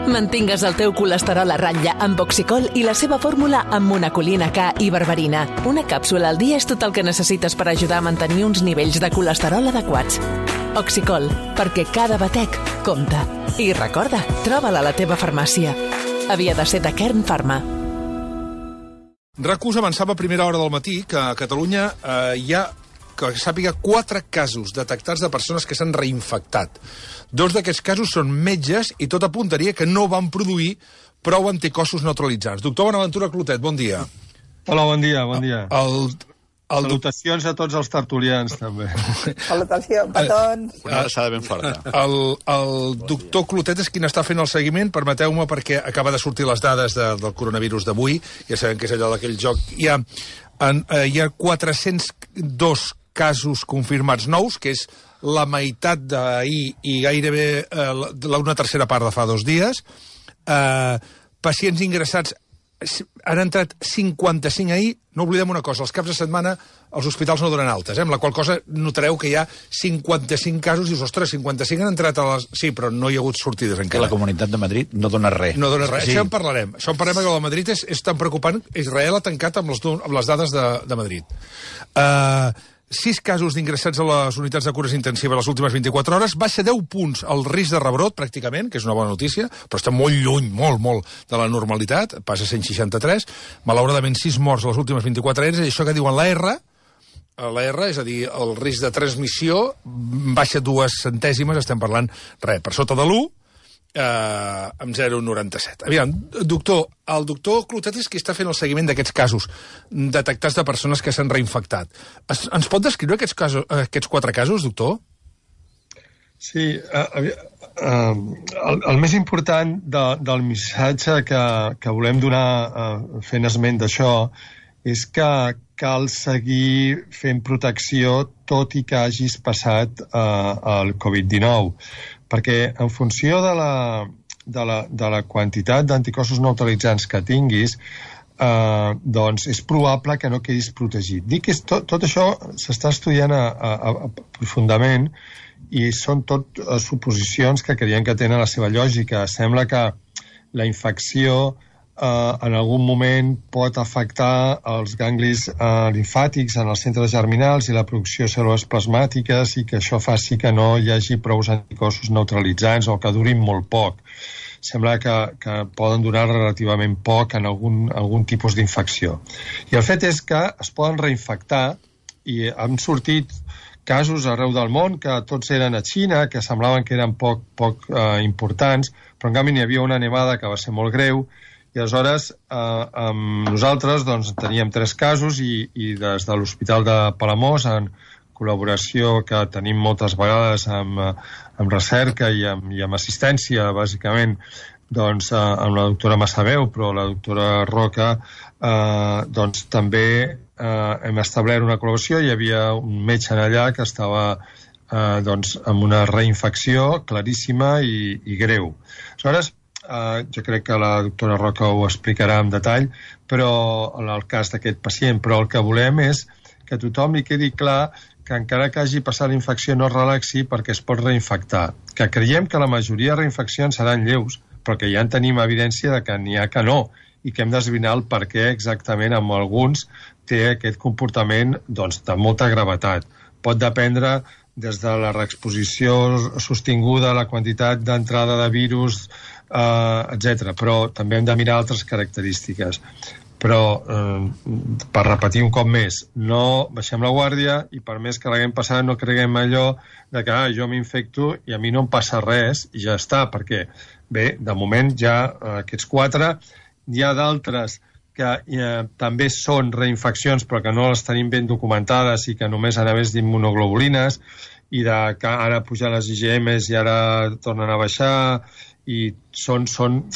Mantingues el teu colesterol a ratlla amb Oxicol i la seva fórmula amb monacolina K i berberina. Una càpsula al dia és tot el que necessites per ajudar a mantenir uns nivells de colesterol adequats. Oxicol, perquè cada batec compta. I recorda, troba-la a la teva farmàcia. Havia de ser de Kern Pharma. RAC1 avançava a primera hora del matí que a Catalunya hi ha, que sàpiga, 4 casos detectats de persones que s'han reinfectat. 2 d'aquests casos són metges i tot apuntaria que no van produir prou anticossos neutralitzants. Doctor Bonaventura Clotet, bon dia. Hola, bon dia, bon dia. Salutacions a tots els tertulians, també. Salutacions, petons. Una abraçada ben forta. El doctor Clotet és qui n'està fent el seguiment. Permeteu-me, perquè acaba de sortir les dades del coronavirus d'avui. Ja sabem que és allò d'aquell joc. Hi ha 402 casos confirmats nous, que és la meitat d'ahir i gairebé una tercera part de fa 2 dies. Pacients ingressats, han entrat 55 ahir. No oblidem una cosa, els caps de setmana els hospitals no donen altes, amb la qual cosa notareu que hi ha 55 casos i dius, ostres, 55 han entrat a les... Sí, però no hi ha hagut sortides encara. Que la Comunitat de Madrid no dona res. No dona res. Sí. Això en parlarem. Això en parlarem, que la Madrid és tan preocupant. Israel ha tancat amb les dades de Madrid. 6 casos d'ingressats a les unitats de cures intensives les últimes 24 hores, baixa 10 punts el risc de rebrot, pràcticament, que és una bona notícia, però està molt lluny, molt, de la normalitat, passa a 163, malauradament 6 morts a les últimes 24 hores, i això que diuen l'R, és a dir, el risc de transmissió, baixa 2 centèsimes, estem parlant, per sota de l'1, amb 0,97. Aviam, doctor, el doctor Clotet és qui està fent el seguiment d'aquests casos detectats de persones que s'han reinfectat. Ens pot descriure aquests 4 casos, doctor? Sí, el més important del missatge que volem donar fent esment d'això és que cal seguir fent protecció tot i que hagis passat el Covid-19, perquè en funció de la quantitat d'anticossos neutralitzants que tinguis, doncs és probable que no quedis protegit. Dic que tot això s'està estudiant profundament i són tot suposicions que creiem que tenen la seva lògica. Sembla que la infecció en algun moment pot afectar els ganglis limfàtics en els centres germinals i la producció de cèl·lules plasmàtiques i que això faci que no hi hagi prou anticossos neutralitzants o que durin molt poc. Sembla que poden durar relativament poc en algun tipus d'infecció. I el fet és que es poden reinfectar i han sortit casos arreu del món que tots eren a Xina, que semblaven que eren poc importants, però en canvi n'hi havia una nevada que va ser molt greu. I aleshores nosaltres teníem 3 casos i des de l'Hospital de Palamós, en col·laboració que tenim moltes vegades amb recerca i amb assistència, bàsicament, amb la doctora Massaveu, però la doctora Roca, també hem establert una col·laboració. Hi havia un metge allà que estava amb una reinfecció claríssima i greu. Aleshores, jo crec que la doctora Roca ho explicarà en detall, però en el cas d'aquest pacient, però el que volem és que a tothom li quedi clar que encara que hagi passat la infecció no es relaxi perquè es pot reinfectar. Que creiem que la majoria de reinfeccions seran lleus, però que ja en tenim evidència de que n'hi ha que no, i que hem d'esbrinar el per què exactament amb alguns té aquest comportament de molta gravetat. Pot dependre des de la reexposició sostinguda, la quantitat d'entrada de virus, etc. Però també hem de mirar altres característiques. Però, per repetir un cop més, no baixem la guàrdia i per més que l'haguem passat no creguem allò de que jo m'infecto i a mi no em passa res i ja està, perquè, bé, de moment ja aquests 4, hi ha d'altres que també són reinfeccions però que no les tenim ben documentades i que només han vist d'immunoglobulines i que ara pujan les IgMs i ara tornen a baixar i són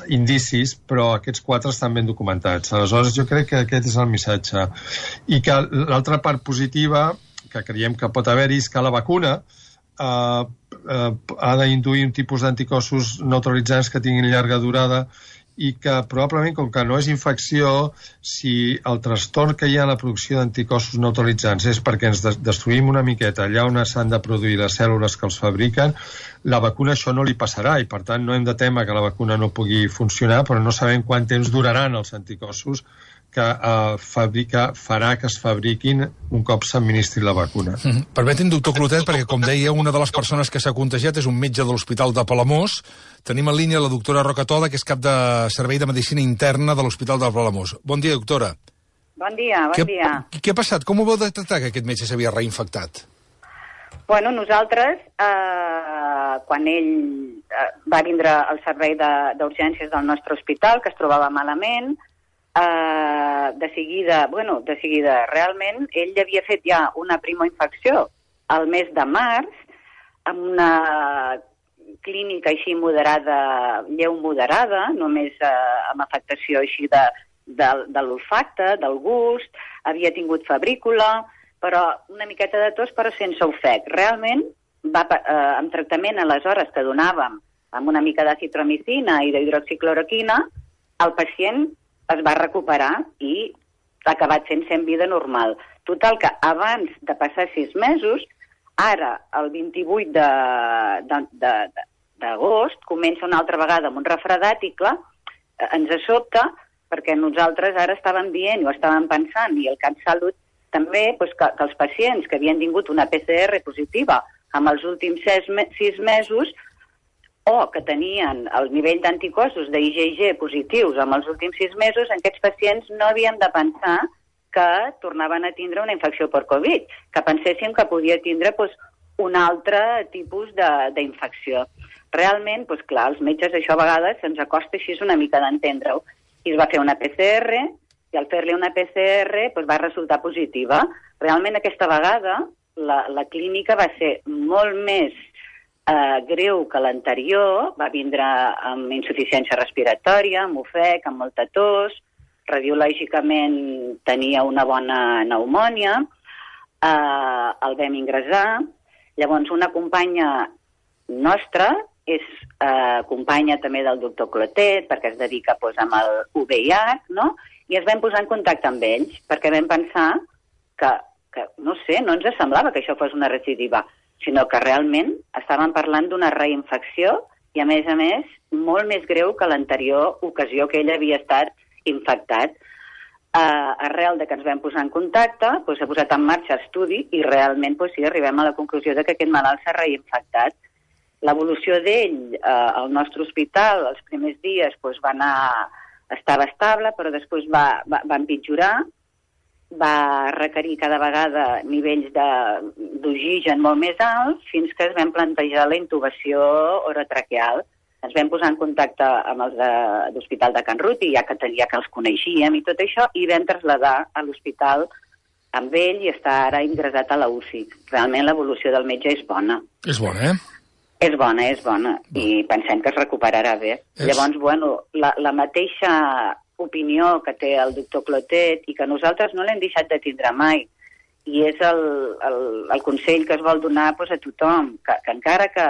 indicis, però aquests 4 estan ben documentats. Aleshores, jo crec que aquest és el missatge. I que l'altra part positiva que creiem que pot haver-hi és que la vacuna ha d'induir un tipus d'anticossos neutralitzants que tinguin llarga durada i que probablement, com que no és infecció, si el trastorn que hi ha en la producció d'anticossos neutralitzants és perquè ens destruïm una miqueta allà on s'han de produir les cèl·lules que els fabriquen, la vacuna això no li passarà i, per tant, no hem de temer que la vacuna no pugui funcionar, però no sabem quant temps duraran els anticossos que farà que es fabriquin un cop s'administri la vacuna. Permeti'm, doctor Clotet, perquè, com deia, una de les persones que s'ha contagiat és un metge de l'Hospital de Palamós. Tenim en línia la doctora Roca Toda, que és cap de Servei de Medicina Interna de l'Hospital de Palamós. Bon dia, doctora. Bon dia, bon dia. Què ha passat? Com ho vau detectar, que aquest metge s'havia reinfectat? Bueno, nosaltres, quan ell va vindre al servei d'urgències del nostre hospital, que es trobava malament, de seguida, realment, ell havia fet ja una primoinfecció al mes de març, amb una clínica així moderada, lleu moderada, només amb afectació així de l'olfacte, del gust, havia tingut febrícula, però una miqueta de tos, però sense ofec. Realment, amb tractament aleshores que donàvem amb una mica d'acitromicina i d'hidroxicloroquina, el pacient es va recuperar i ha acabat sent vida normal. Total, que abans de passar 6 mesos, ara, el 28 d'agost, comença una altra vegada amb un refredat i, clar, ens sobta, perquè nosaltres ara estàvem dient o estàvem pensant, i el CatSalut també, doncs, que els pacients que havien tingut una PCR positiva en els últims 6 mesos, o que tenien el nivell d'anticossos d'IgG positius en els últims 6 mesos, aquests pacients no havíem de pensar que tornaven a tindre una infecció per Covid, que penséssim que podia tindre un altre tipus d'infecció. Realment, clar, els metges això a vegades se'ns acosta així una mica d'entendre-ho. I es va fer una PCR, i al fer-li una PCR va resultar positiva. Realment aquesta vegada la clínica va ser molt més greu que l'anterior, va vindre amb insuficiència respiratòria, amb ofec, amb molta tos, radiològicament tenia una bona pneumònia, el vam ingressar. Llavors una companya nostra, és companya també del doctor Clotet, perquè es dedica amb el VIH, no? I es vam posar en contacte amb ells, perquè vam pensar que no sé, no ens semblava que això fos una recidiva, sinó que realment estàvem parlant d'una reinfecció i, a més, molt més greu que l'anterior ocasió que ell havia estat infectat. Arrel de que ens vam posar en contacte, s'ha posat en marxa estudi i realment sí, arribem a la conclusió de que aquest malalt s'ha reinfectat. L'evolució d'ell al nostre hospital els primers dies estava estable, però després va empitjorar, va requerir cada vegada nivells d'oxigen molt més alts fins que es vam plantejar la intubació orotraqueal. Ens vam posar en contacte amb els de l'Hospital de Can Ruti, ja que els coneixíem i tot això, i vam traslladar a l'hospital amb ell i està ara ingressat a la UCI. Realment l'evolució del metge és bona. És bona, És bona, i pensem que es recuperarà bé. Llavors, la mateixa opinió que té el doctor Clotet i que nosaltres no l'hem deixat de tindre mai, i és el consell que es vol donar a tothom, que encara que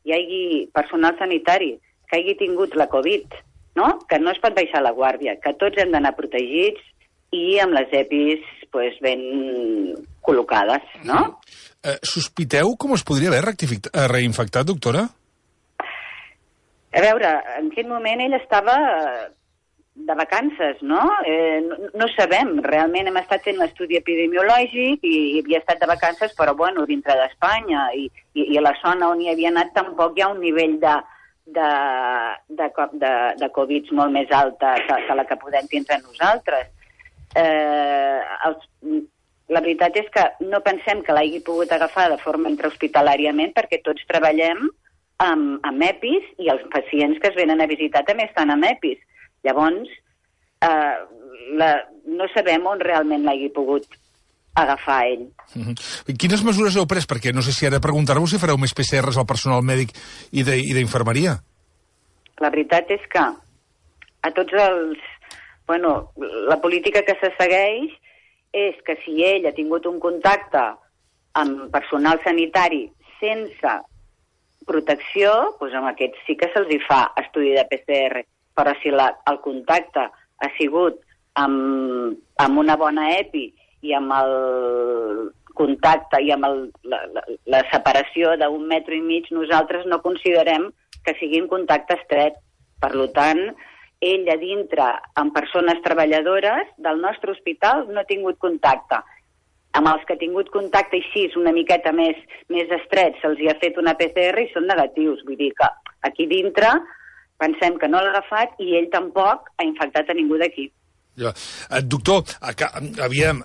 hi hagi personal sanitari que hagi tingut la Covid, no? Que no es pot baixar la guàrdia, que tots hem d'anar protegits i amb les EPIs ben col·locades, no? Sospiteu com es podria haver reinfectat, doctora? A veure, en quin moment ell estava de vacances, no? No sabem, realment hem estat fent l'estudi epidemiològic i havia estat de vacances, però dintre d'Espanya i a la zona on hi havia anat tampoc hi ha un nivell de Covid molt més alta que la que podem tindre nosaltres. La veritat és que no pensem que l'hagi pogut agafar de forma intrahospitalàriament perquè tots treballem amb EPIs i els pacients que es venen a visitar també estan amb EPIs. Llavors, no sabem on realment l'hagi pogut agafar ell. Quines mesures heu pres? Perquè no sé si ara preguntar-vos si fareu més PCRs al personal mèdic i d'infermeria. La veritat és que a tots els... la política que se segueix és que si ell ha tingut un contacte amb personal sanitari sense protecció, amb aquests sí que se'ls fa estudi de PCR. però si el contacte ha sigut amb una bona EPI i amb el contacte i amb la separació d'1,5 metres, nosaltres no considerem que sigui un contacte estret. Per tant, ell a dintre, amb persones treballadores del nostre hospital, no ha tingut contacte. Amb els que ha tingut contacte així, una miqueta més estret, se'ls hi ha fet una PCR i són negatius. Vull dir que aquí dintre pensem que no l'ha agafat i ell tampoc ha infectat a ningú d'aquí. Ja. Doctor,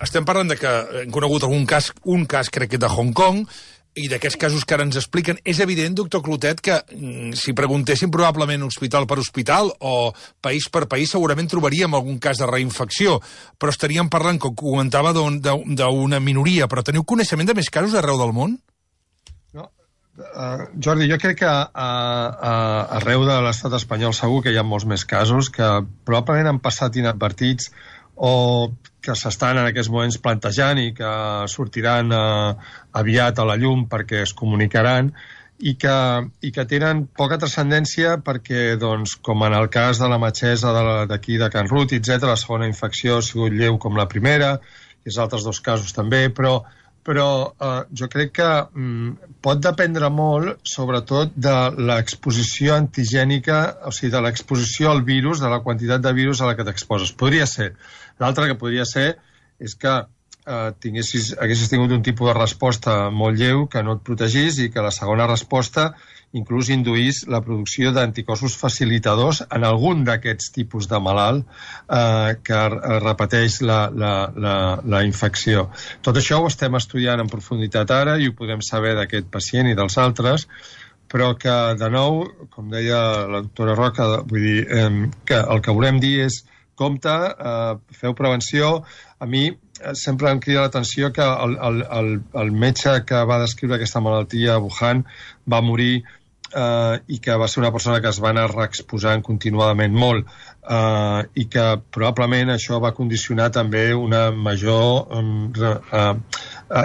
estem parlant de que hem conegut un cas crec que de Hong Kong, i d'aquests casos que ara ens expliquen. És evident, doctor Clotet, que si preguntéssim probablement hospital per hospital o país per país, segurament trobaríem algun cas de reinfecció, però estaríem parlant, com comentava, d'una minoria. Però teniu coneixement de més casos arreu del món? No. Jordi, jo crec que arreu de l'estat espanyol segur que hi ha molts més casos que probablement han passat inadvertits o que s'estan en aquests moments plantejant i que sortiran aviat a la llum perquè es comunicaran i que tenen poca transcendència perquè, doncs, com en el cas de la metgessa d'aquí de Can Rut, etc., la segona infecció ha sigut lleu com la primera, i els altres dos casos també, però jo crec que pot dependre molt, sobretot, de l'exposició antigènica, o sigui, de l'exposició al virus, de la quantitat de virus a la que t'exposes. Podria ser. L'altre que podria ser és que haguessis tingut un tipus de resposta molt lleu que no et protegís i que la segona resposta inclús induís la producció d'anticossos facilitadors en algun d'aquests tipus de malalt que repeteix la infecció. Tot això ho estem estudiant en profunditat ara i ho podem saber d'aquest pacient i dels altres, però que, de nou, com deia la doctora Roca, vull dir, que el que volem dir és compte, feu prevenció. A mi sempre em crida l'atenció que el metge que va descriure aquesta malaltia a Wuhan va morir i que va ser una persona que es va anar reexposant continuadament molt i que probablement això va condicionar també una major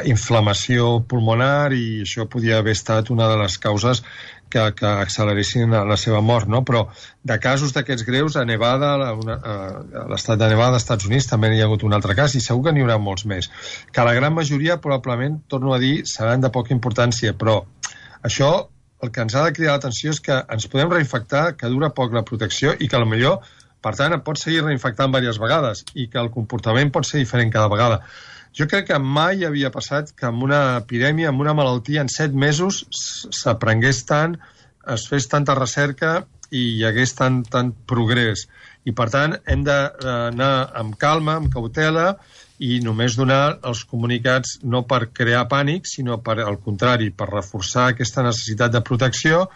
inflamació pulmonar i això podia haver estat una de les causes que acceleressin la seva mort, no? Però de casos d'aquests greus a Nevada, a l'estat de Nevada, als Estats Units, també n'hi ha hagut un altre cas i segur que n'hi haurà molts més. Que la gran majoria, probablement, torno a dir, seran de poca importància, però això el que ens ha de cridar l'atenció és que ens podem reinfectar, que dura poc la protecció i que potser, per tant, et pots seguir reinfectant diverses vegades i que el comportament pot ser diferent cada vegada. Jo crec que mai havia passat que amb una epidèmia, amb una malaltia, en 7 mesos s'aprengués tant, es fes tanta recerca i hi hagués tant progrés. I, per tant, hem d'anar amb calma, amb cautela, i només donar els comunicats no per crear pànic, sinó per, al contrari, per reforçar aquesta necessitat de protecció,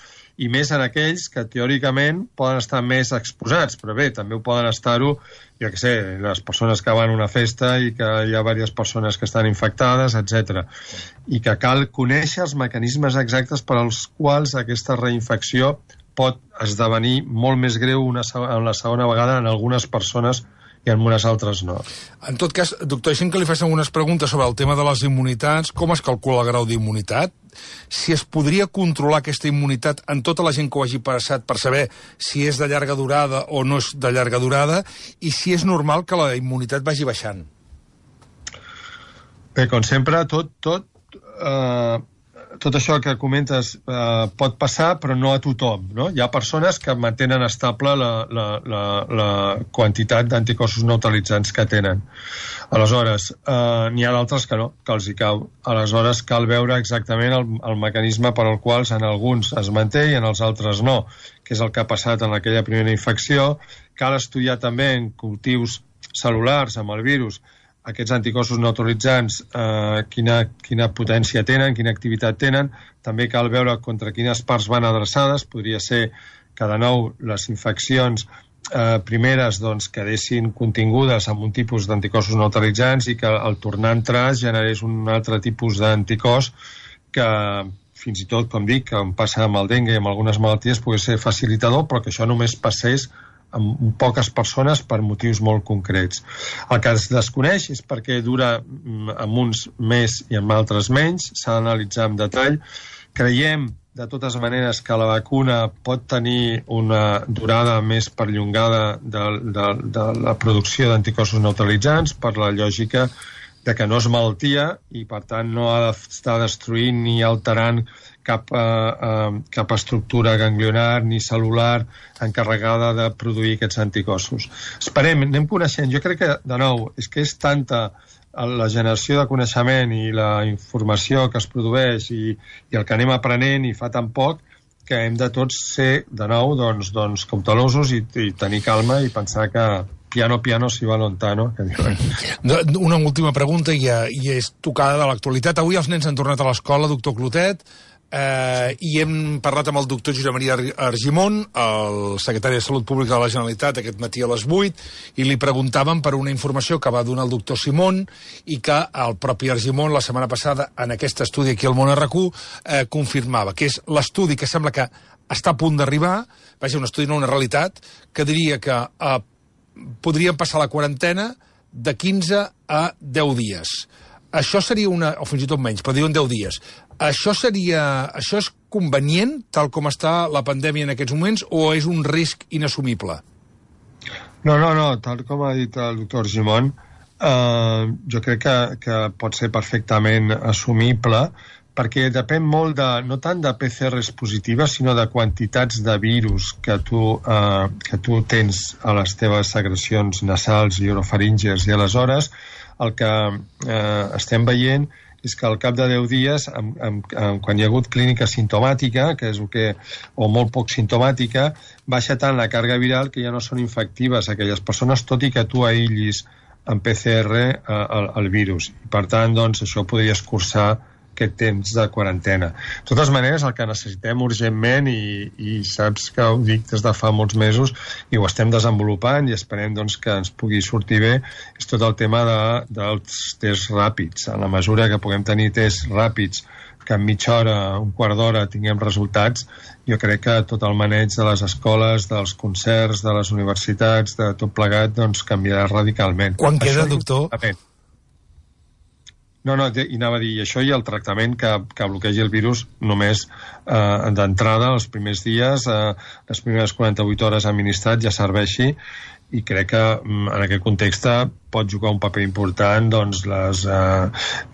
i més en aquells que teòricament poden estar més exposats, però bé, també ho poden estar-ho, jo què sé, les persones que van a una festa i que hi ha diverses persones que estan infectades, etc. I que cal conèixer els mecanismes exactes per als quals aquesta reinfecció pot esdevenir molt més greu en la segona vegada en algunes persones i en unes altres no. En tot cas, doctor, deixem que li facin algunes preguntes sobre el tema de les immunitats. Com es calcula el grau d'immunitat? Si es podria controlar aquesta immunitat en tota la gent que ho hagi passat per saber si és de llarga durada o no és de llarga durada i si és normal que la immunitat vagi baixant. Bé, com sempre, tot això que comentes pot passar, però no a tothom, no? Hi ha persones que mantenen estable la quantitat d'anticossos neutralitzants que tenen. Aleshores, n'hi ha d'altres que no, que els hi cau. Aleshores, cal veure exactament el mecanisme per al qual en alguns es manté i en els altres no, que és el que ha passat en aquella primera infecció. Cal estudiar també en cultius cel·lulars amb el virus aquests anticossos neutralitzants, quina potència tenen, quina activitat tenen. També cal veure contra quines parts van adreçades. Podria ser que, de nou, les infeccions primeres quedessin contingudes amb un tipus d'anticossos neutralitzants i que al tornar a entrar generés un altre tipus d'anticòs que, fins i tot, com dic, com passa amb el dengue i amb algunes malalties, pogués ser facilitador, però que això només passés amb poques persones per motius molt concrets. El que es desconeix és perquè dura amb uns més i amb altres menys, s'ha d'analitzar en detall. Creiem de totes maneres, que la vacuna pot tenir una durada més perllongada de la producció d'anticossos neutralitzants per la lògica de que no és malaltia i, per tant, no ha d'estar destruint ni alterant cap estructura ganglionar ni cel·lular encarregada de produir aquests anticossos. Esperem, anem coneixent. Jo crec que, de nou, és que és tanta la generació de coneixement i la informació que es produeix i el que anem aprenent i fa tan poc que hem de tots ser, de nou, doncs cautelosos i tenir calma i pensar que piano si va lontano. Una última pregunta i és tocada de l'actualitat. Avui els nens han tornat a l'escola, doctor Clotet, i hem parlat amb el doctor Josep Maria Argimon, el secretari de Salut Pública de la Generalitat, aquest matí a les 8, i li preguntàvem per una informació que va donar el doctor Simón i que el propi Argimon la setmana passada en aquest estudi aquí al Món RQ confirmava, que és l'estudi que sembla que està a punt d'arribar, vaja, un estudi no una realitat, que diria que podríem passar la quarantena de 15 a 10 dies. Això seria o fins i tot menys, però diuen 10 dies. Això és convenient, tal com està la pandèmia en aquests moments, o és un risc inassumible? No, tal com ha dit el doctor Argimon, jo crec que pot ser perfectament assumible, perquè depèn molt no tant de PCRs positives, sinó de quantitats de virus que tu tens a les teves secrecions nasals i orofaríngies, i aleshores el que estem veient és que al cap de 10 dies, quan hi ha hagut clínica simptomàtica, que és o molt poc simptomàtica, baixa tant la càrrega viral que ja no són infectives aquelles persones, tot i que tu aïllis en PCR el virus. I, per tant, doncs, això podria escurçar aquest temps de quarantena. De totes maneres, el que necessitem urgentment, i saps que ho dic des de fa molts mesos, i ho estem desenvolupant i esperem doncs, que ens pugui sortir bé, és tot el tema dels tests ràpids. En la mesura que puguem tenir tests ràpids, que en mitja hora, un quart d'hora, tinguem resultats, jo crec que tot el maneig de les escoles, dels concerts, de les universitats, de tot plegat, doncs canviarà radicalment. Quan queda, doctor? No, i anava a dir, això i el tractament que bloquegi el virus només d'entrada, els primers dies, les primeres 48 hores administrat ja serveixi, i crec que en aquest context pot jugar un paper important doncs, les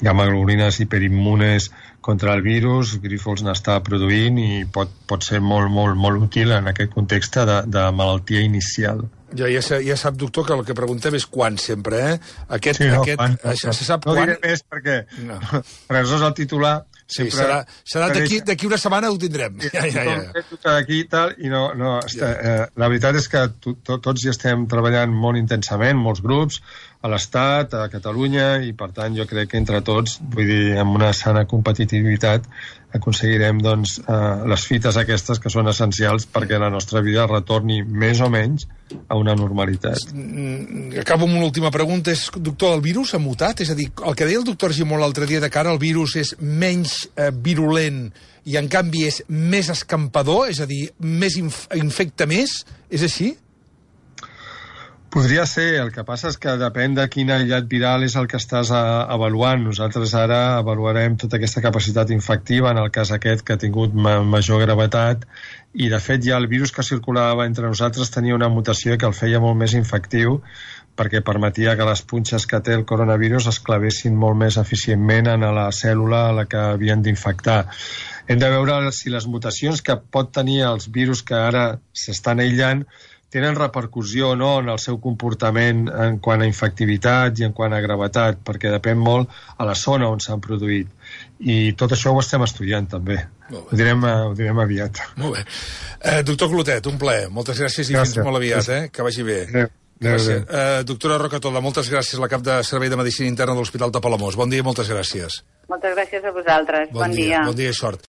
gamma-globulines hiperimmunes contra el virus. Grifols n'està produint i pot ser molt, molt, molt útil en aquest context de malaltia inicial. Ja sap, doctor, que el que preguntem és quan, sempre, eh? Se sap quan... No diré més perquè res és el titular. Sí, serà d'aquí una setmana ho tindrem. D'aquí i tal, i no, la veritat és que tots hi estem treballant molt intensament, molts grups, a l'Estat, a Catalunya, i per tant jo crec que entre tots, vull dir, amb una sana competitivitat, aconseguirem doncs, les fites aquestes que són essencials perquè la nostra vida retorni més o menys a una normalitat. Acabo amb una última pregunta. Doctor, el virus ha mutat? És a dir, el que deia el doctor Argimon l'altre dia de que ara el virus és menys virulent i en canvi és més escampador, és a dir, infecta més, és així? Podria ser, el que passa és que depèn de quin aïllat viral és el que estàs avaluant. Nosaltres ara avaluarem tota aquesta capacitat infectiva, en el cas aquest que ha tingut major gravetat, i de fet ja el virus que circulava entre nosaltres tenia una mutació que el feia molt més infectiu, perquè permetia que les punxes que té el coronavirus es clavessin molt més eficientment en la cèl·lula a la que havien d'infectar. Hem de veure si les mutacions que pot tenir els virus que ara s'estan aïllant tenen repercussió o no en el seu comportament en quant a infectivitat i en quant a gravetat, perquè depèn molt a la zona on s'han produït. I tot això ho estem estudiant, també. Ho direm aviat. Molt bé. Doctor Clotet, un plaer. Moltes gràcies i fins molt aviat, que vagi bé. Gràcies. Doctora Rocatola, moltes gràcies, la cap de Servei de Medicina Interna de l'Hospital de Palamós. Bon dia i moltes gràcies. Moltes gràcies a vosaltres. Bon dia. Bon dia i sort.